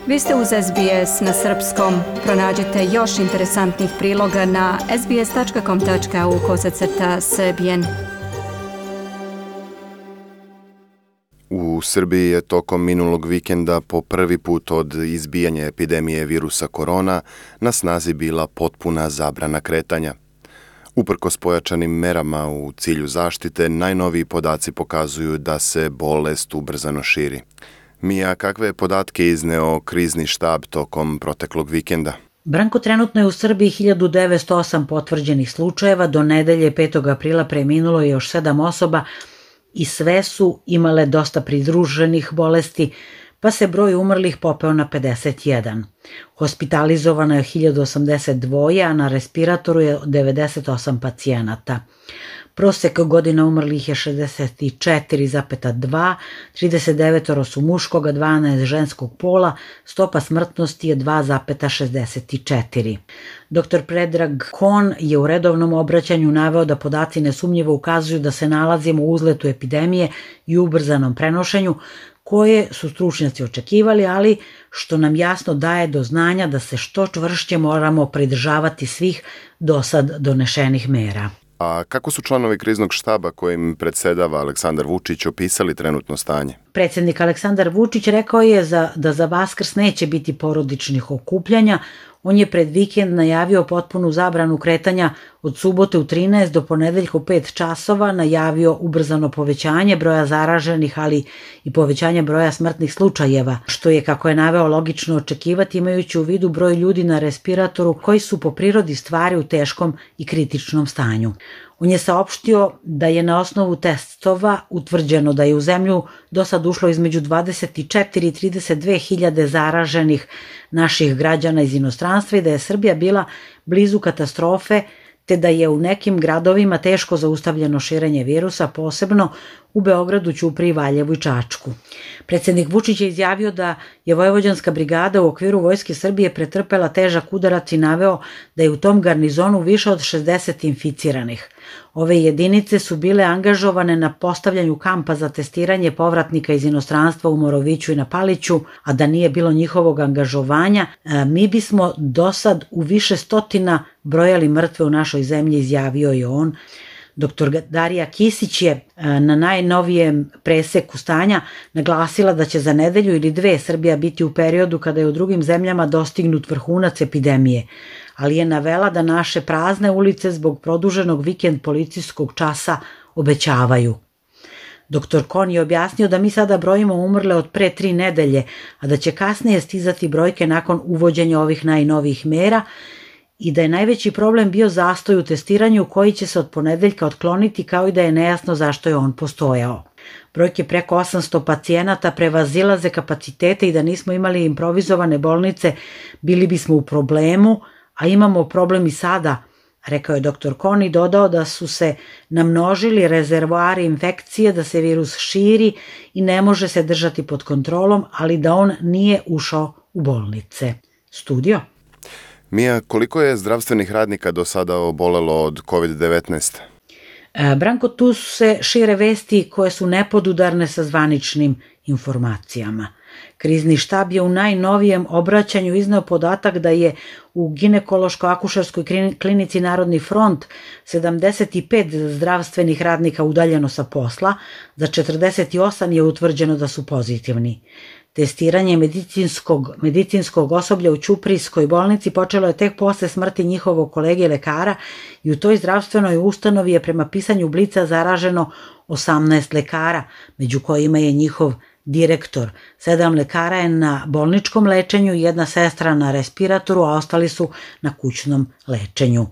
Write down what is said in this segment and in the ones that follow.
Vi ste uz SBS na srpskom. Pronađite još interesantnih priloga na sbs.com.au/srbijen. U Srbiji je tokom minulog vikenda po prvi put od izbijanja epidemije virusa korona na snazi bila potpuna zabrana kretanja. Uprkos pojačanim merama u cilju zaštite, najnoviji podaci pokazuju da se bolest ubrzano širi. Mija, kakve je podatke izneo krizni štab tokom proteklog vikenda? Branko, trenutno je u Srbiji 1908 potvrđenih slučajeva, do nedelje 5. aprila preminulo je još 7 osoba i sve su imale dosta pridruženih bolesti, pa se broj umrlih popeo na 51. Hospitalizovano je 1082, a na respiratoru je 98 pacijenata. Prosek godina umrlih je 64,2, 39 su muškog, 12 ženskog pola, stopa smrtnosti je 2,64. Dr. Predrag Kon je u redovnom obraćanju naveo da podaci nesumnjivo ukazuju da se nalazimo u uzletu epidemije i ubrzanom prenošenju, koje su stručnjaci očekivali, ali što nam jasno daje do znanja da se što čvršće moramo pridržavati svih dosad donešenih mera. A kako su članovi kriznog štaba kojim predsedava Aleksandar Vučić opisali trenutno stanje? Predsjednik Aleksandar Vučić rekao je da za Vaskrs neće biti porodičnih okupljanja. On je pred vikend najavio potpunu zabranu kretanja od subote u 13 do ponedeljka u 5 časova, najavio ubrzano povećanje broja zaraženih, ali i povećanje broja smrtnih slučajeva, što je, kako je naveo, logično očekivati imajući u vidu broj ljudi na respiratoru koji su po prirodi stvari u teškom i kritičnom stanju. On je saopštio da je na osnovu testova utvrđeno da je u zemlju do sad ušlo između 24 i 32 hiljade zaraženih naših građana iz inostranstva i da je Srbija bila blizu katastrofe, te da je u nekim gradovima teško zaustavljeno širenje virusa, posebno u Beogradu, Ćupriji, Valjevu i Čačku. Predsjednik Vučić je izjavio da je Vojvođanska brigada u okviru Vojske Srbije pretrpela težak udarac i naveo da je u tom garnizonu više od 60 inficiranih. Ove jedinice su bile angažovane na postavljanju kampa za testiranje povratnika iz inostranstva u Moroviću i na Paliću, a da nije bilo njihovog angažovanja, mi bismo dosad u više stotina brojali mrtve u našoj zemlji, izjavio je on. Dr. Darija Kisić je na najnovijem preseku stanja naglasila da će za nedelju ili dve Srbija biti u periodu kada je u drugim zemljama dostignut vrhunac epidemije, ali je navela da naše prazne ulice zbog produženog vikend policijskog časa obećavaju. Dr. Kon je objasnio da mi sada brojimo umrle od pre 3 nedelje, a da će kasnije stizati brojke nakon uvođenja ovih najnovijih mera i da je najveći problem bio zastoj u testiranju koji će se od ponedeljka otkloniti, kao i da je nejasno zašto je on postojao. Brojke preko 800 pacijenata prevazilaze kapacitete i da nismo imali improvizovane bolnice, bili bismo u problemu, a imamo problem i sada, rekao je dr. Kon i dodao da su se namnožili rezervoari infekcije, da se virus širi i ne može se držati pod kontrolom, ali da on nije ušao u bolnice. Studio. Mija, koliko je zdravstvenih radnika do sada obolelo od COVID-19? Branko, tu se šire vesti koje su nepodudarne sa zvaničnim informacijama. Krizni štab je u najnovijem obraćanju izneo podatak da je u ginekološko-akušerskoj klinici Narodni front 75 zdravstvenih radnika udaljeno sa posla, za 48 je utvrđeno da su pozitivni. Testiranje medicinskog osoblja u Ćuprijskoj bolnici počelo je tek posle smrti njihovog kolege lekara i u toj zdravstvenoj ustanovi je prema pisanju Blica zaraženo 18 lekara, među kojima je njihov direktor. 7 lekara je na bolničkom lečenju, 1 sestra na respiratoru, a ostali su na kućnom lečenju.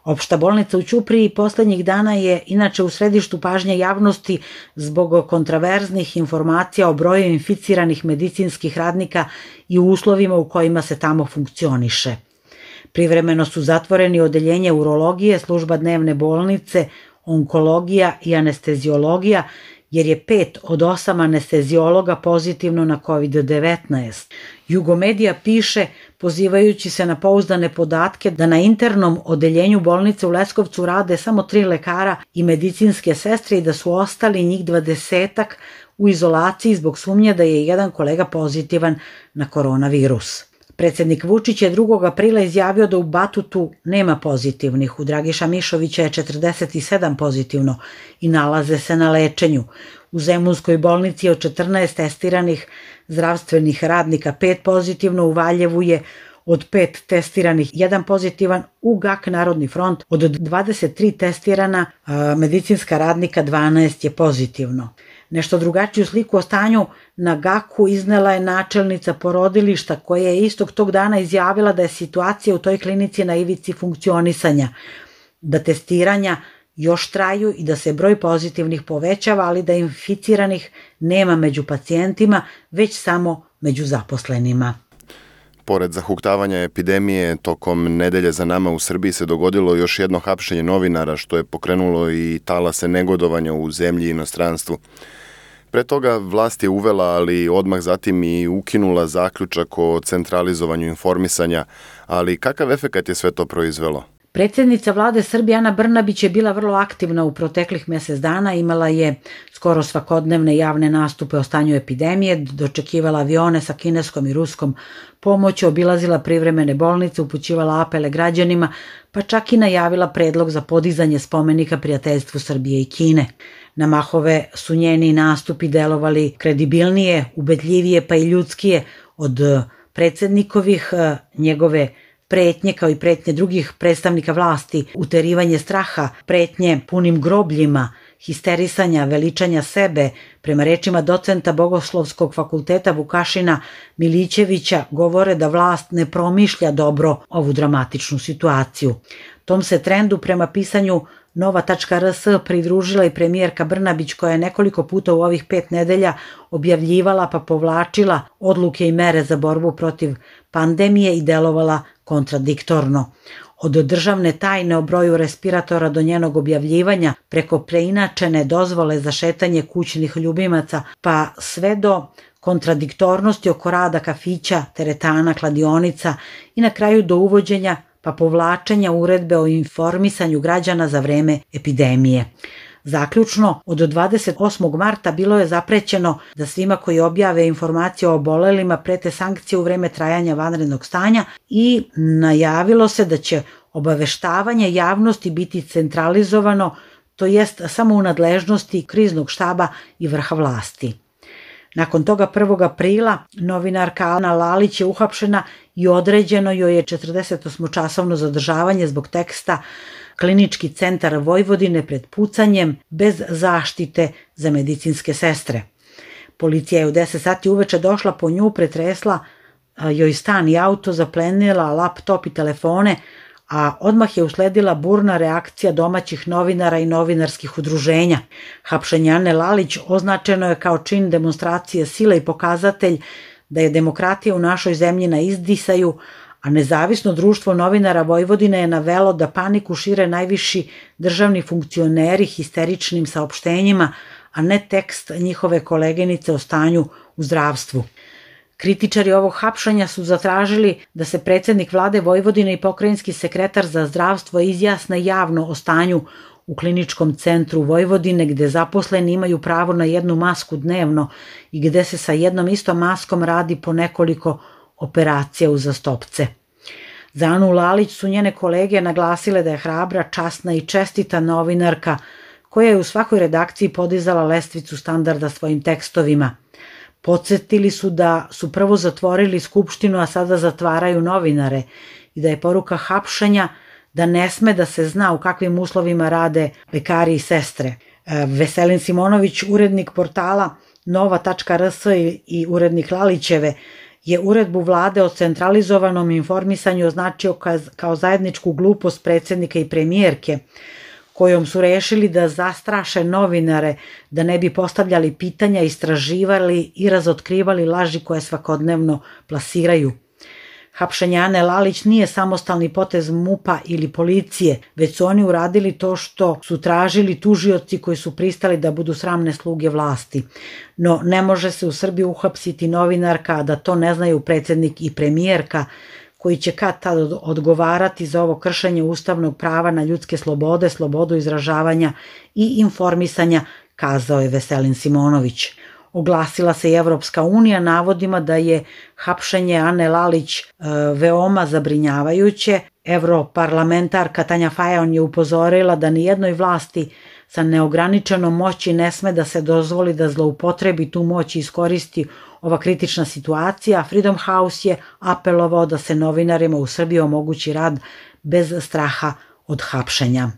Opšta bolnica u Ćupriji poslednjih dana je inače u središtu pažnje javnosti zbog kontraverznih informacija o broju inficiranih medicinskih radnika i uslovima u kojima se tamo funkcioniše. Privremeno su zatvoreni odeljenje urologije, služba dnevne bolnice, onkologija i anesteziologija, jer je 5 od 8 anesteziologa pozitivno na COVID-19. Jugomedija piše, pozivajući se na pouzdane podatke, da na internom odeljenju bolnice u Leskovcu rade samo 3 lekara i medicinske sestre i da su ostali njih 20-ak u izolaciji zbog sumnje da je jedan kolega pozitivan na koronavirus. Predsjednik Vučić je 2. aprila izjavio da u Batutu nema pozitivnih, u Dragiša Mišovića je 47 pozitivno i nalaze se na lečenju. U Zemunskoj bolnici je od 14 testiranih zdravstvenih radnika 5 pozitivno, u Valjevu je od 5 testiranih 1 pozitivan, u GAK Narodni front od 23 testirana medicinska radnika 12 je pozitivno. Nešto drugačiju sliku o stanju na GAK-u iznela je načelnica porodilišta koja je istog tog dana izjavila da je situacija u toj klinici na ivici funkcionisanja, da testiranja još traju i da se broj pozitivnih povećava, ali da inficiranih nema među pacijentima, već samo među zaposlenima. Pored zahuktavanja epidemije, tokom nedelje za nama u Srbiji se dogodilo još jedno hapšenje novinara, što je pokrenulo i talase negodovanja u zemlji i inostranstvu. Pre toga vlast je uvela, ali odmah zatim i ukinula zaključak o centralizovanju informisanja, ali kakav efekat je sve to proizvelo? Predsjednica vlade Srbije Ana Brnabić je bila vrlo aktivna u proteklih mjesec dana, imala je skoro svakodnevne javne nastupe o stanju epidemije, dočekivala avione sa kineskom i ruskom pomoći, obilazila privremene bolnice, upućivala apele građanima, pa čak i najavila predlog za podizanje spomenika prijateljstvu Srbije i Kine. Na mahove su njeni nastupi delovali kredibilnije, ubedljivije pa i ljudskije od predsjednikovih, njegove pretnje kao i pretnje drugih predstavnika vlasti, uterivanje straha, pretnje punim grobljima, histerisanja, veličanja sebe, prema rečima docenta Bogoslovskog fakulteta Vukašina Milićevića, govore da vlast ne promišlja dobro ovu dramatičnu situaciju. Tom se trendu prema pisanju Nova.rs pridružila i premijerka Brnabić, koja je nekoliko puta u ovih 5 nedelja objavljivala pa povlačila odluke i mere za borbu protiv pandemije i delovala kontradiktorno. Od državne tajne o broju respiratora do njenog objavljivanja, preko preinačene dozvole za šetanje kućnih ljubimaca, pa sve do kontradiktornosti oko rada kafića, teretana, kladionica i na kraju do uvođenja pa povlačenja uredbe o informisanju građana za vreme epidemije. Zaključno, od 28. marta bilo je zaprećeno da svima koji objave informacije o obolelima prete sankcije u vreme trajanja vanrednog stanja i najavilo se da će obaveštavanje javnosti biti centralizovano, to jest samo u nadležnosti kriznog štaba i vrha vlasti. Nakon toga 1. aprila novinarka Ana Lalić je uhapšena i određeno joj je 48-časovno zadržavanje zbog teksta Klinički centar Vojvodine pred pucanjem bez zaštite za medicinske sestre. Policija je u 10 sati uveče došla po nju, pretresla joj stan i auto, zaplenila laptop i telefone, a odmah je usledila burna reakcija domaćih novinara i novinarskih udruženja. Hapšenje Ane Lalić označeno je kao čin demonstracije sile i pokazatelj da je demokratija u našoj zemlji na izdisaju, a nezavisno društvo novinara Vojvodine je navelo da paniku šire najviši državni funkcioneri histeričnim saopštenjima, a ne tekst njihove koleginice o stanju u zdravstvu. Kritičari ovog hapšanja su zatražili da se predsjednik vlade Vojvodine i pokrajinski sekretar za zdravstvo izjasne javno o stanju u kliničkom centru Vojvodine, gde zaposleni imaju pravo na 1 masku dnevno i gde se sa jednom istom maskom radi po nekoliko operacija uzastopce. Za Anu Lalić su njene kolege naglasile da je hrabra, časna i čestita novinarka koja je u svakoj redakciji podizala lestvicu standarda svojim tekstovima. Podsjetili su da su prvo zatvorili Skupštinu, a sada zatvaraju novinare i da je poruka hapšenja da ne sme da se zna u kakvim uslovima rade lekari i sestre. Veselin Simonović, urednik portala Nova.rs i urednik Lalićeve, je uredbu vlade o centralizovanom informisanju označio kao zajedničku glupost predsjednika i premijerke, kojom su rešili da zastraše novinare, da ne bi postavljali pitanja, istraživali i razotkrivali laži koje svakodnevno plasiraju. Hapšenje Ane Lalić nije samostalni potez MUP-a ili policije, već su oni uradili to što su tražili tužioci koji su pristali da budu sramne sluge vlasti. No ne može se u Srbiji uhapsiti novinarka, a da to ne znaju predsjednik i premijerka, koji će kad tad odgovarati za ovo kršenje ustavnog prava na ljudske slobode, slobodu izražavanja i informisanja, kazao je Veselin Simonović. Oglasila se i Evropska unija navodima da je hapšenje Ane Lalić veoma zabrinjavajuće. Evroparlamentarka Tanja Fajon je upozorila da nijednoj vlasti sa neograničenom moći ne sme da se dozvoli da zloupotrebi tu moć i iskoristi ova kritična situacija. Freedom House je apelovao da se novinarima u Srbiji omogući rad bez straha od hapšenja.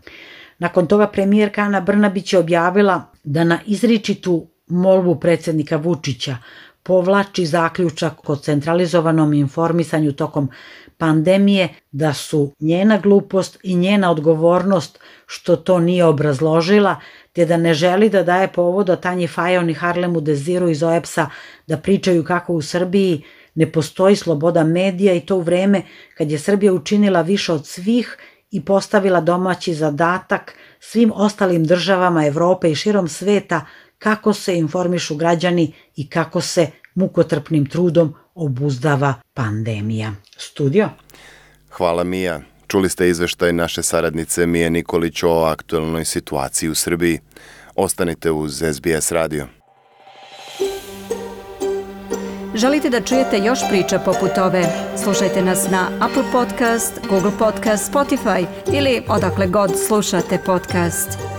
Nakon toga premijerka Ana Brnabić je objavila da na izričitu molbu predsjednika Vučića povlači zaključak o centralizovanom informisanju tokom pandemije, da su njena glupost i njena odgovornost što to nije obrazložila, te da ne želi da daje povoda Tanji Fajon i Harlemu Deziru iz OEBS-a da pričaju kako u Srbiji ne postoji sloboda medija, i to u vreme kad je Srbija učinila više od svih i postavila domaći zadatak svim ostalim državama Evrope i širom sveta kako se informišu građani i kako se mukotrpnim trudom obuzdava pandemija. Studio. Hvala Mija. Čuli ste izveštaj naše saradnice Mije Nikolić o aktualnoj situaciji u Srbiji. Ostanite uz SBS radio. Želite da čujete još priča poput ove? Slušajte nas na Apple Podcast, Google Podcast, Spotify ili odakle god slušate podcast.